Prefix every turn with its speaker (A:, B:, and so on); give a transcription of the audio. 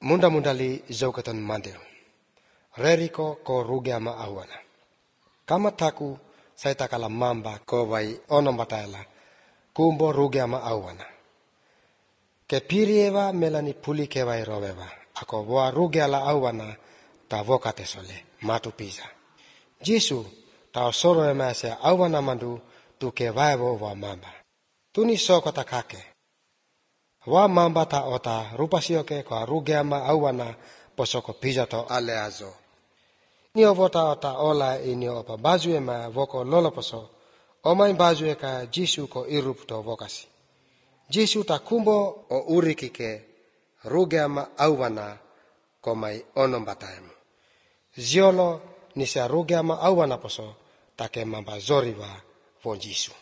A: Munda-mundali zaukatan mandil. Reriko ko rugiama awana. Kama taku saya takala mamba ko vai ono batala. Kumbo rugiama awana. Ke pirieva melani puli ke vai roveva. Ako voa rugiala awana ta vokate sole matu pisa. Jisu ta soro emase awana mandu tu ke vaivo voa mamba. Tuni soko takake. Wa mamba ta ota rupasioke ko rugiama awana posoko pijato aleazo. Nio vota ota ola inio opa bazue ma voko loloposo. Omai bazue ka Jisu ko irupto vokasi. Jisu ta kumbo o urikike rugiama awana ko mai onombataemu. Ziolo nisa rugiama awana poso take mamba zoriva von Jisu.